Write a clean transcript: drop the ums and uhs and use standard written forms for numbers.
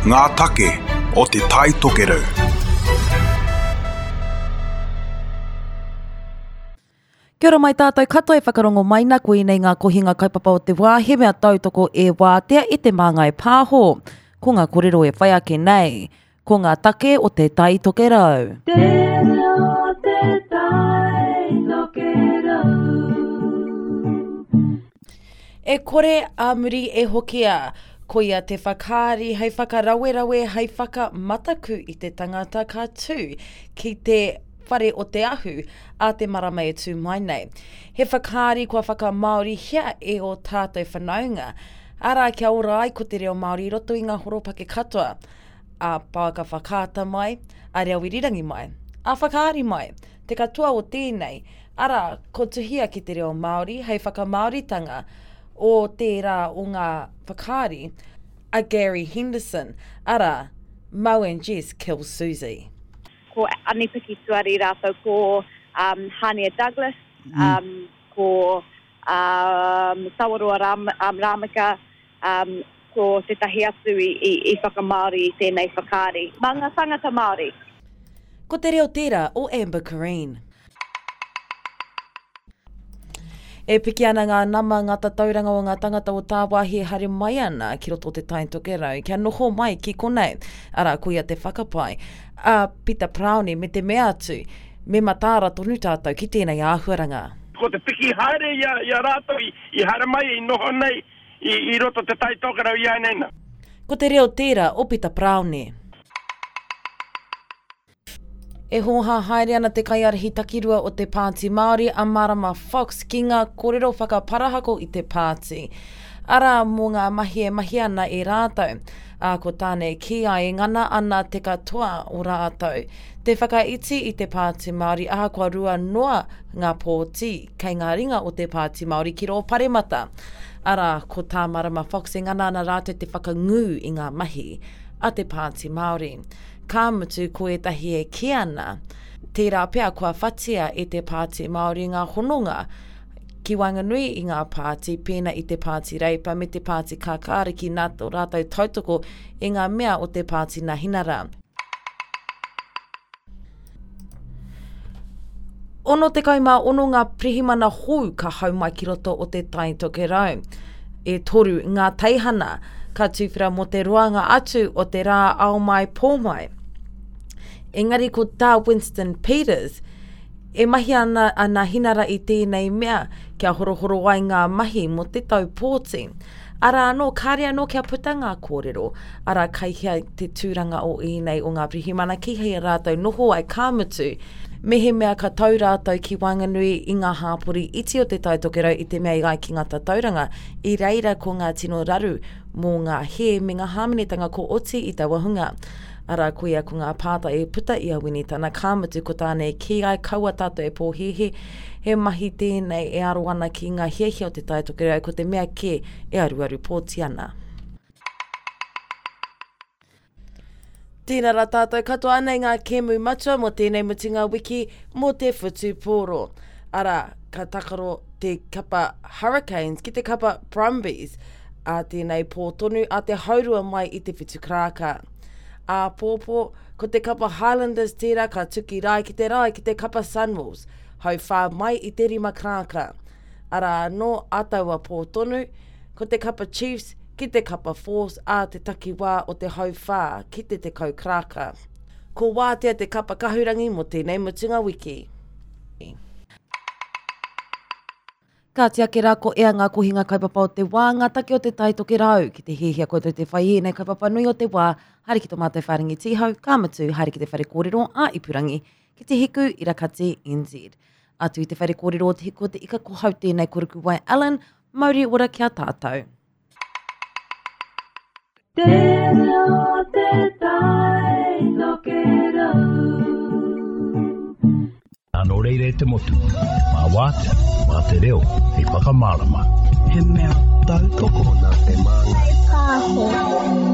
Ngā take o Te Tai Tokerau. Kia ora mai tātou katoa e whakarongo mai na koinei ngā kohinga kaupapa o te wā he mea tautoko e Wātea e Te Māngai Pāho. Ko ngā korero e whai ake nei, ko ngā take o Te Tai Tokerau. Te reo o te tai tokerau. E kore a muri e hokia. Koia te whakaari hei whakarawerawe, hei whakamataku i te tangata ka tū ki te Whare o Te Ahu a te marama e tū mai nei. He whakaari kua whakamāorihia e ō tātou whanaunga, arā kia ora ai ko te reo Māori i roto i ngā horopaki katoa, a pouaka whakaata mai, a reo irirangi mai, a whakaari mai. Te katoa o tēnei, arā, ko tuhia ki te reo Māori hei whakamāoritanga o tērā o ngā whakaari a Gary Henderson, arā, Mo and Jess Kill Susie. Ko Ani-Piki Tuari rātou ko um, Hānia Douglas, mm. um, ko um, Tawaroa Ram, um, Rameka, um, ko tētahi atu i, i, i whakamāori i tēnei whakaari. Mā ngā tāngata Māori. Ko te reo tērā o Amber Curreen. E piki ana ngā nama, ngā tatauranga o ngā tangata o tāwāhi e haere mai ana ki roto o Te Tai Tokerau kia noho mai ki konei. Arā, koia te whakapae a Pita Paraone me te mea atu, me mataara tonu tātou ki tēnei āhuaranga. Ko te piki haere i a, i a rātou i, i haere mai, i noho nei i, i roto Te Tai Tokerau i āinei nā. Ko te reo tērā o Pita Paraone. E hōhā haere ana te kaiārahi takirua o te Pāti Māori a Marama Fox ki ngā kōrero whakaparahako i te pāti, arā, mō ngā mahi e mahia ana e rātou. Ā, ko tāna e kī ai, e ngana ana te katoa o rātou te whakaiti i te Pāti Māori ahakoa rua noa ngā pōti kei ngā ringa o te Pāti Māori ki rō paremata. Arā, ko tā Marama Fox e ngana ana rātou te whakangū i ngā mahi a te Pāti Māori. Ka mutu ko ētahi e kī ana, tērā pea kua whatia e te Pāti Māori ngā hononga ki waenganui i ngā pāti pēnā i te Pāti Reipa me te Pāti Kākāriki nā tō rātou tautoko i ngā mea o te Pāti Nahinara. 66 ngā pirihimana hou ka hau mai ki roto o Te Tai Tokerau. E toru ngā teihana ka tuwhera mō te roanga atu o te rā ao mai pō mai. Engari ko tā Winston Peters, e mahi ana a Nahinara i tēnei mea kia horohoro ai ngā mahi mō te tau pōti. Arā anō, kāre anō kia puta ngā kōrero, arā kai hea te tūranga o ēnei o ngā pirihimana ki hea rātou noho ai ka mutu, mehemea ka tau rātou ki waenganui i ngā hāpori iti o Te Tai Tokerau i te mea i ai ki ngā tatauranga, i reira ko ngā tino raru mō ngā hē me ngā hāmenetanga ko oti i taua hunga. Arā, koia ko ngā pātai e puta i a Winitana, ka mutu ko tāna e kī ai kaua tātou e pōhēhē, he mahi tēnei e aro ana ki ngā hiahia o Te Tai Tokerau, ko te mea kē e aruaru pōti ana. Tēnā rā tātou katoa anei ngā kēmu matua mō tēnei mutunga wiki mō te whutupōro. Arā, ka takaro te kapa Hurricanes ki te kapa Brumbies ā tēnei pō tonu a te haurua mai i te whitu karāka. Āpōpō, ko te kapa Highlanders tērā ka tuki rae ki te rae ki te kapa Sunwolves, hauwhā mai i te rima karāka. Arā anō ā taua pō tonu, ko te kapa Chiefs ki te kapa Force ā te takiwā o te hauwhā ki te 10 karaka. Ko Wātea te kapa kahurangi mō tēnei mutunga wiki. Kāti ake rā ko ea ngā kohinga kaupapa o te wā, ngā take o te Tai Tokerau. Ki te hiahia koutou te whai i ēnei kaupapa nui o te wā, haere ki tō mātou whārangi tīhau, ka mutu, haere ki te whare kōrero ā-ipurangi, ki te Hiku Irakati NZ. Atu i te whare kōrero o Te Hiku o te Ika ko hau tēnei ko Rukuwai Allen, mauri ora ki a tātou. Te reo o te tai tokerau. Nō reira e te motu, mā Wātea, mā te reo hei whakamārama. He mea tautoko nā Te Māngai Pāho.